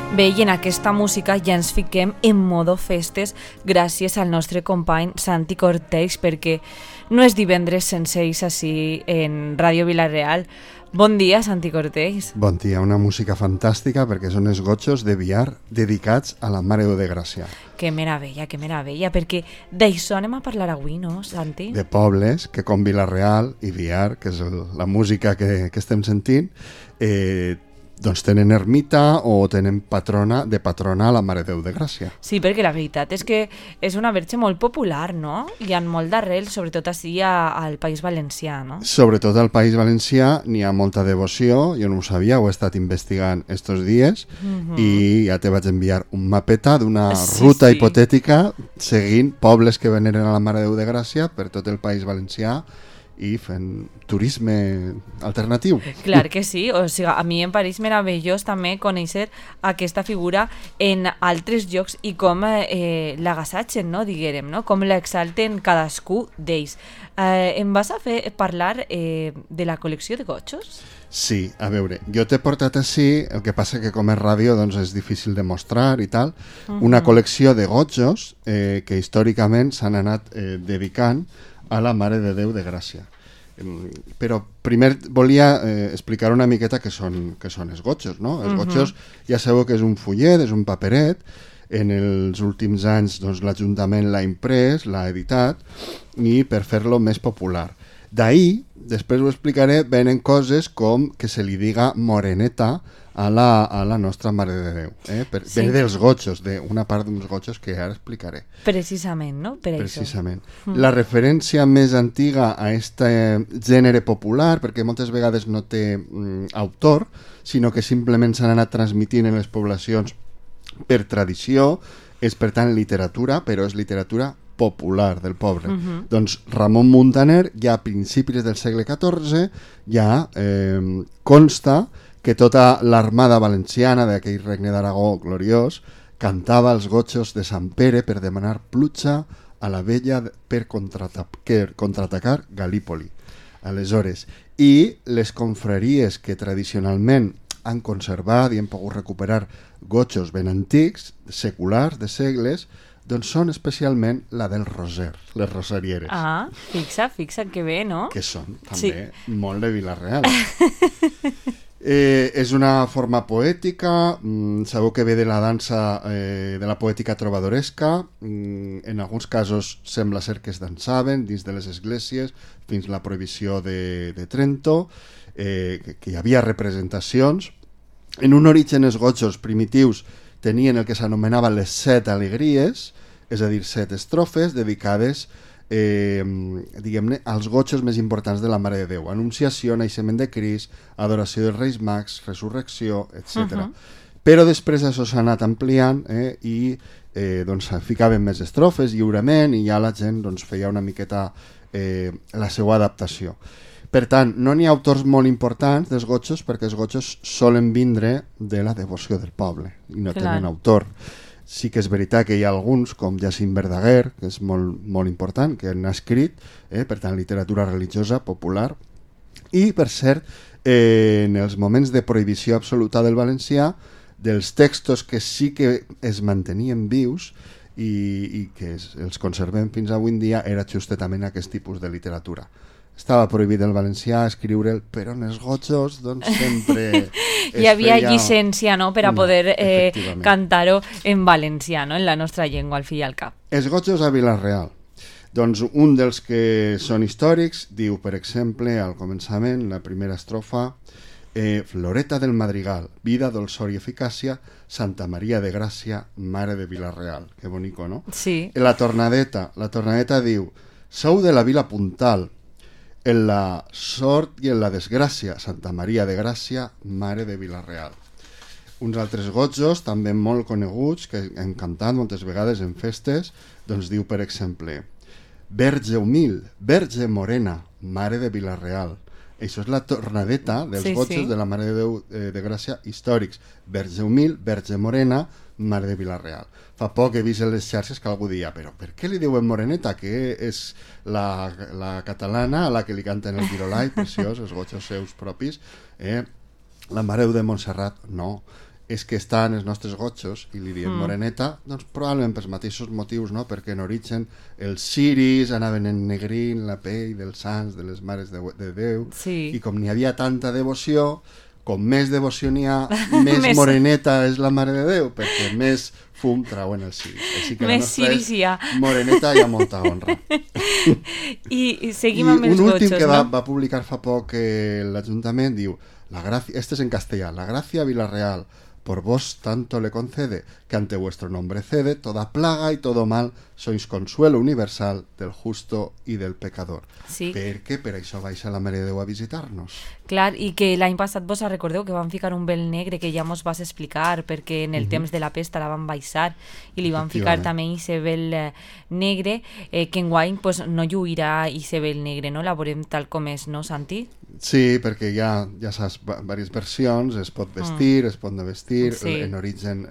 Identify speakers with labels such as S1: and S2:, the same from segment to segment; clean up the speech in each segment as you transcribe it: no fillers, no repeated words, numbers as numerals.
S1: Bé, i en aquesta música ja ens fiquem en modo festes gràcies al nostre company Santi Cortells, perquè no és divendres sense ells així en Ràdio Vila-real. Bon dia, Santi Cortells.
S2: Bon dia, una música fantàstica perquè són els gotxos de Biar dedicats a la Mare de Gràcia.
S1: Que meravella, perquè d'això anem a parlar avui, no, Santi?
S2: De pobles que com Vila-real i Biar, que és la música que estem sentint, doncs tenen ermita o tenen patrona la Mare de Déu de Gràcia.
S1: Sí, perquè la veritat és que és una verge molt popular, no? Hi ha molt d'arrel, sobretot així al País Valencià, no?
S2: Sobretot al País Valencià n'hi ha molta devoció, jo no ho sabia, ho he estat investigant estos dies i ja te vaig enviar un mapeta d'una ruta hipotètica seguint pobles que veneren a la Mare de Déu de Gràcia per tot el País Valencià i fent turisme alternatiu.
S1: Clar que sí, o sigui, a mi em pareix meravellós també conèixer aquesta figura en altres llocs i com l'agassatgen, no, diguérem, no? Com l'exalten cadascú d'ells. Em vas a fer parlar de la col·lecció de gotxos?
S2: Sí, a veure, jo t'he portat així, el que passa que com és ràdio doncs és difícil de mostrar i tal, una col·lecció de gotxos que històricament s'han anat dedicant a la Mare de Déu de Gràcia. Però primer volia explicar una miqueta què són els gotxos, no? Els gotxos ja sabeu que és un fullet, és un paperet. En els últims anys doncs, l'Ajuntament l'ha imprès, l'ha editat, i per fer-lo més popular. D'ahir, després ho explicaré, venen coses com que se li diga moreneta a la nostra Mare de Déu. Ve dels gotxos, d'una part d'uns gotxos que ara explicaré.
S1: Precisament, no?
S2: Precisament. La referència més antiga a aquest gènere popular, perquè moltes vegades no té autor, sinó que simplement s'han anat transmitint en les poblacions per tradició, és per tant literatura, però és literatura popular del poble. Doncs Ramon Muntaner ja a principis del segle XIV ja consta que tota l'armada valenciana d'aquell regne d'Aragó gloriós cantava els gotxos de Sant Pere per demanar pluja a la vella per contraatacar Galípoli. Aleshores, i les confraries que tradicionalment han conservat i han pogut recuperar gotxos ben antics, seculars, de segles, doncs són especialment la del Roser, les rosarieres.
S1: Ah, fixa't que bé, no?
S2: Que són també molt de Vila-real. És una forma poètica, sabeu que ve de la dansa, de la poètica trobadoresca, en alguns casos sembla ser que es dansaven dins de les esglésies fins a la prohibició de Trento, que hi havia representacions. En un origen els gotxos primitius tenien el que s'anomenava les 7 alegries, és a dir, 7 estrofes dedicades diguem-ne, als gotxos més importants de la Mare de Déu: Anunciació, Naixement de Crist, Adoració dels Reis Mags, Resurrecció, etc. Però després això s'ha anat ampliant i doncs ficaven més estrofes lliurement i ja la gent doncs, feia una miqueta la seva adaptació. Per tant, no n'hi ha autors molt importants dels gotxos perquè els gotxos solen vindre de la devoció del poble i no tenen autor. Sí que és veritat que hi ha alguns, com Jacint Verdaguer, que és molt important, que han escrit, per tant, literatura religiosa, popular. I, per cert, en els moments de prohibició absoluta del valencià, dels textos que sí que es mantenien vius i que els conservem fins avui en dia, era justament aquest tipus de literatura. Estava prohibit el valencià escriure'l, però en els gotxos doncs sempre
S1: hi havia llicència, no?, per a poder cantar-ho en valencià, no?, en la nostra llengua, al fi i al cap.
S2: Els gotxos a Vila-real. Doncs un dels que són històrics diu, per exemple, al començament, la primera estrofa: Floreta del Madrigal, vida, dolçor i eficàcia, Santa Maria de Gràcia, Mare de Vila-real. Que bonico, no?
S1: Sí.
S2: La tornadeta diu: sou de la vila puntal, en la sort i en la desgràcia, Santa Maria de Gràcia, Mare de Vila-real. Uns altres gotxos, també molt coneguts, que hem cantat moltes vegades en festes, doncs diu, per exemple: Verge humil, Verge morena, Mare de Vila-real. Això és la tornadeta dels gotxos de la Mare de Déu de Gràcia històrics. Verge humil, Verge morena, Mare de Vila-real. Fa poc he vist en les xarxes que algú dia, però per què li diuen moreneta? Que és la catalana a la que li canten el virolai, preciós, els gotxos seus propis. La Mare de Montserrat, no. és que està en els nostres gotxos, i li diem moreneta, doncs probablement pels mateixos motius, no? Perquè en origen els ciris anaven ennegrint la pell dels sants, de les mares de Déu,
S1: Sí.
S2: i com n'hi havia tanta devoció, com més devoció n'hi ha, més moreneta és la Mare de Déu, perquè més fum trauen els ciris. Així que
S1: Més
S2: la nostra
S1: ciris hi ha.
S2: moreneta hi ha molta honra.
S1: I seguim
S2: I
S1: amb els
S2: un últim
S1: gotxos,
S2: que
S1: no?
S2: va publicar fa poc l'Ajuntament diu, este es en castellà, la gracia Villarreal por vos tanto le concede, que ante vuestro nombre cede toda plaga y todo mal, sois consuelo universal del justo y del pecador.
S1: Sí.
S2: Perquè per això baixa la Mare de Déu a visitar-nos.
S1: Clar, i que l'any passat vos recordeu que van ficar un vel negre que ja mos vas explicar perquè en el temps de la pesta la van baixar i li van ficar també ese vel negre que enguany pues, no lluirà ese vel negre, no? La veurem tal com és, no, Santi?
S2: Sí, perquè ja saps, diverses versions, es pot vestir, es pot no vestir,
S1: Sí.
S2: en origen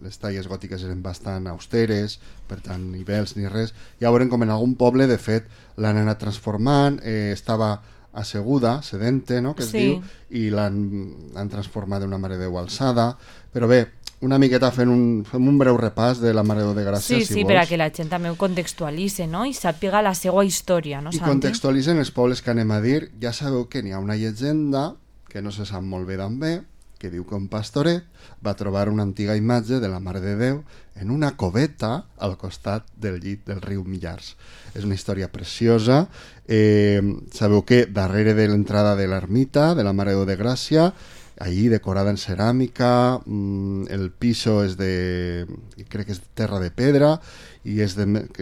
S2: les talles gòtiques eren bastant austeres, per tant ni vels ni res, ja veurem com en algun poble de fet l'han anat transformant, estava asseguda, sedente, no?, que es
S1: Sí.
S2: diu, i l'han transformat d'una Mare de Déu alçada, però bé, una miqueta fem un breu repàs de la Mare de Déu de Gràcia,
S1: Sí,
S2: si
S1: sí,
S2: vols.
S1: perquè la gent també ho contextualitze, no? I sàpiga la seva història, no,
S2: I
S1: Santi?
S2: contextualitzen els pobles que anem a dir. Ja sabeu que n'hi ha una llegenda que no se sap molt bé d'on ve, que diu que un pastoret va trobar una antiga imatge de la Mare de Déu en una coveta al costat del llit del riu Millars. És una història preciosa. Sabeu que darrere de l'entrada de l'ermita de la Mare de Déu de Gràcia, allí decorada en ceràmica, el piso és crec que és terra de pedra, i és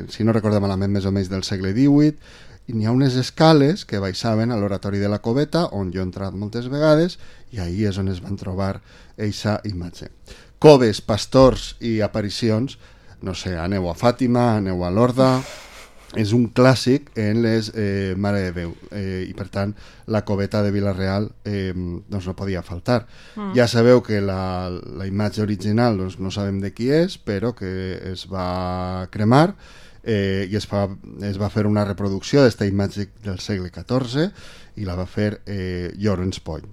S2: si no recordo malament, més o menys del segle XVIII, i n'hi ha unes escales que baixaven a l'oratori de la coveta, on jo he entrat moltes vegades, i ahí és on es van trobar eixa imatge. Coves, pastors i aparicions, no sé, aneu a Fàtima, aneu a Lorda, és un clàssic en les Mare de Déu, i per tant la coveta de Vila-real doncs no podia faltar. Ja sabeu que la imatge original doncs no sabem de qui és, però que es va cremar i es va fer una reproducció d'esta imatge del segle XIV i la va fer Llorenç Pont.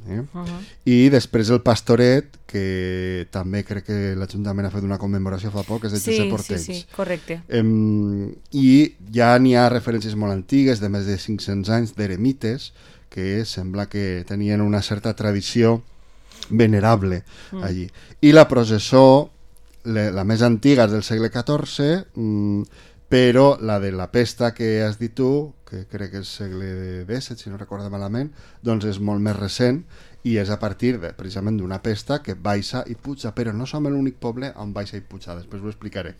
S2: I després el pastoret, que també crec que l'Ajuntament ha fet una commemoració fa poc, és de Josep Ortells.
S1: Sí, correcte.
S2: I ja n'hi ha referències molt antigues, de més de 500 anys, d'eremites, que sembla que tenien una certa tradició venerable allí. I la processó, la més antiga és del segle XIV, però la de la pesta que has dit tu, que crec que és segle XVII, si no recordo malament, doncs és molt més recent i és a partir precisament d'una pesta que baixa i puja, però no som l'únic poble on baixa i puja, després ho explicaré.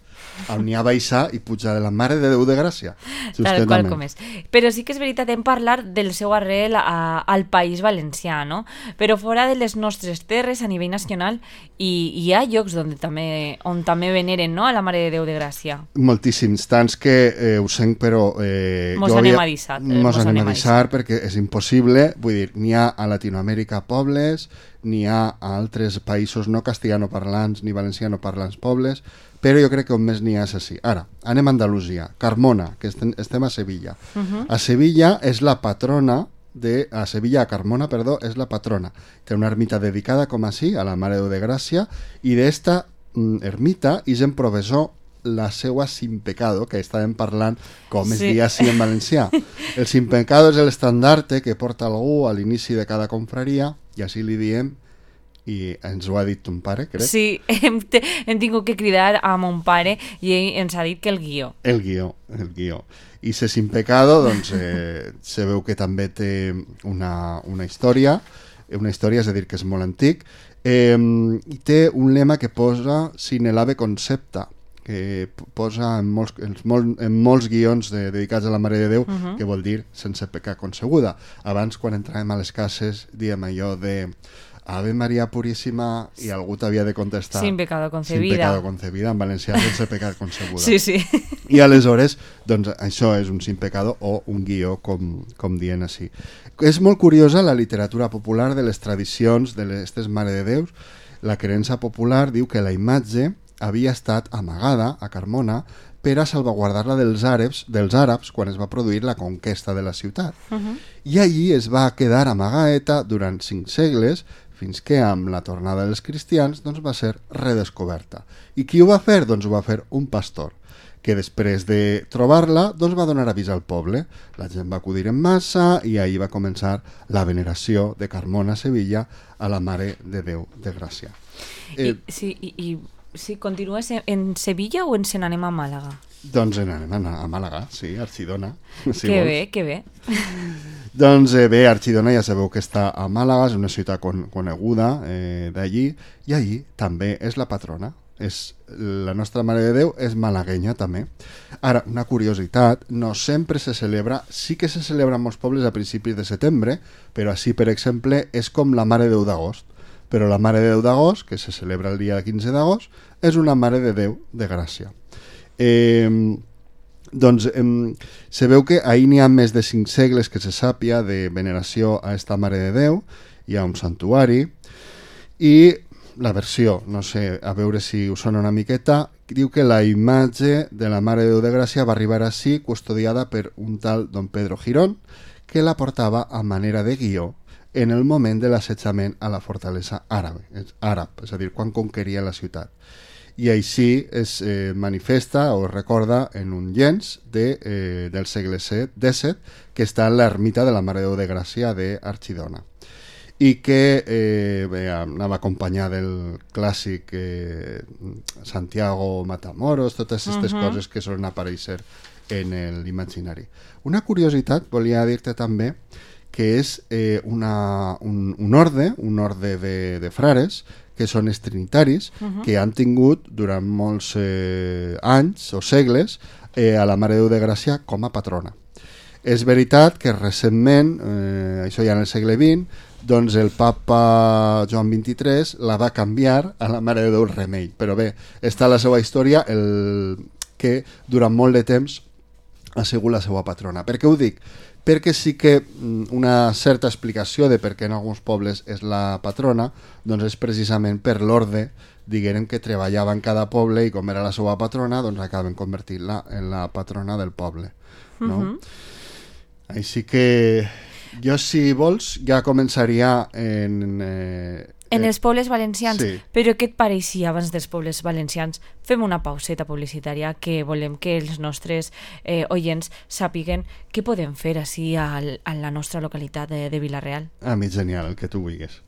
S2: On n'hi ha baixa i puja de la Mare de Déu de Gràcia.
S1: Tal qual com és. Però sí que és veritat, hem parlat del seu arrel al País Valencià, no? Però fora de les nostres terres a nivell nacional hi ha llocs on també veneren, no?, a la Mare de Déu de Gràcia.
S2: Moltíssims, tants que ho sent, però...
S1: Mos anem a
S2: deixar perquè és impossible, vull dir, n'hi ha a Latinoamèrica pobles, n'hi ha a altres països no castellanoparlants ni valencianoparlants pobles, però jo crec que on més n'hi ha és així. Ara, anem a Andalusia, Carmona, que estem a Sevilla. A Sevilla és la patrona a Sevilla, a Carmona, perdó, és la patrona. Té una ermita dedicada, com així, a la Mare de Déu de Gràcia, i d'esta ermita és en professor la seua sin pecado, que estàvem parlant com es dia així en valencià. El sin pecado és l'estandarte que porta algú a l'inici de cada confraria, i així li diem, i ens ho ha dit ton pare, crec.
S1: Sí, hem tingut que cridar a mon pare i ell ens ha dit que el guió.
S2: El guió. I se sin pecado, doncs, sabeu que també té una història, és a dir, que és molt antic, i té un lema que posa sine lave concepta, que posa en molts guions dedicats a la Mare de Déu, que vol dir sense pecar concebuda. Abans, quan entràvem a les cases, diem allò de Ave Maria Puríssima, i algú t'havia de contestar
S1: sin pecado concebida.
S2: Sin pecado concebida, en valencià sense pecat concebuda.
S1: Sí.
S2: I aleshores, doncs, això és un sin pecado o un guió, com dient així. És molt curiosa la literatura popular de les tradicions d'aquestes Mare de Déus. La creença popular diu que la imatge havia estat amagada a Carmona per a salvaguardar-la dels àrabs quan es va produir la conquesta de la ciutat. I allí es va quedar amagaeta durant 5 segles fins que amb la tornada dels cristians doncs, va ser redescoberta. I qui ho va fer? Doncs ho va fer un pastor, que després de trobar-la doncs va donar avís al poble. La gent va acudir en massa i ahir va començar la veneració de Carmona a Sevilla a la Mare de Déu de Gràcia.
S1: Si continues en Sevilla o ens n'anem a Màlaga?
S2: Doncs anem a Màlaga, sí, Archidona. Si
S1: que
S2: vols.
S1: bé, que bé.
S2: Doncs bé, Archidona ja sabeu que està a Màlaga, és una ciutat coneguda d'allí, i allí també és la patrona. La nostra Mare de Déu és malaguenya també. Ara, una curiositat, no sempre se celebra, sí que se celebra en molts pobles a principis de setembre, però així, per exemple, és com la Mare de Déu d'agost. Però la Mare de Déu d'agost, que se celebra el dia 15 d'agost, és una Mare de Déu de Gràcia. Se veu que ahir n'hi ha més de 5 segles que se sàpia de veneració a esta Mare de Déu, hi ha un santuari, i la versió, no sé, a veure si us sona una miqueta, diu que la imatge de la Mare de Déu de Gràcia va arribar així, custodiada per un tal don Pedro Girón, que la portava a manera de guió en el moment de l'assetjament a la fortalesa àrab, és a dir, quan conqueria la ciutat. I així es manifesta o es recorda en un llenç del segle XVII que està en l'ermita de la Mare de Déu de Gràcia d'Archidona i que anava acompanyat del clàssic Santiago Matamoros, totes aquestes coses que solen aparèixer en l'imaginari. Una curiositat, volia dir-te també, que és un orde de frares que són els trinitaris, que han tingut durant molts anys o segles a la Mare de Déu de Gràcia com a patrona. És veritat que recentment, això ja en el segle XX, doncs el papa Joan XXIII la va canviar a la Mare de Déu Remei, però bé, està la seva història que durant molt de temps ha sigut la seva patrona. Per què ho dic? Perquè sí que una certa explicació de per què en alguns pobles és la patrona doncs és precisament per l'orde, diguem, que treballava en cada poble i com era la seva patrona doncs acaben convertint-la en la patrona del poble, no? Així que jo, si vols, ja començaria
S1: en els pobles valencians, sí. Però què et pareixia abans dels pobles valencians? Fem una pauseta publicitària que volem que els nostres oients sàpiguen què podem fer així a la nostra localitat de Vila-real.
S2: A mi genial, el que tu vulguis.